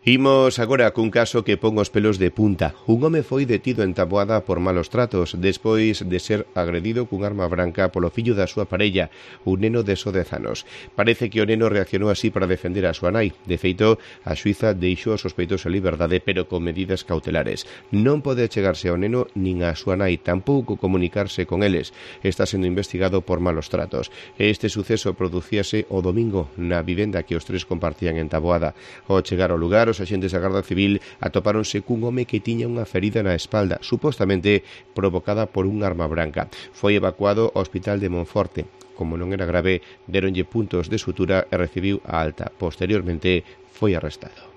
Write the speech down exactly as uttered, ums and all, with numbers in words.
Imos agora cun caso que pon os pelos de punta. Un home foi detido en Taboada por malos tratos despois de ser agredido cun arma branca polo fillo da súa parella, un neno de só dez anos. Parece que o neno reaccionou así para defender a súa nai. De feito, a xuíza deixou os sospeitos en liberdade, pero con medidas cautelares. Non pode chegarse ao neno nin a súa nai, tampouco comunicarse con eles. Está sendo investigado por malos tratos. Este suceso producíase o domingo na vivenda que os tres compartían en Taboada. Ao chegar ao lugar, os axentes da Garda Civil atopáronse cun home que tiña unha ferida na espalda, supostamente provocada por un arma branca. Foi evacuado ao hospital de Monforte. Como non era grave, deronlle puntos de sutura e recibiu a alta. Posteriormente, foi arrestado.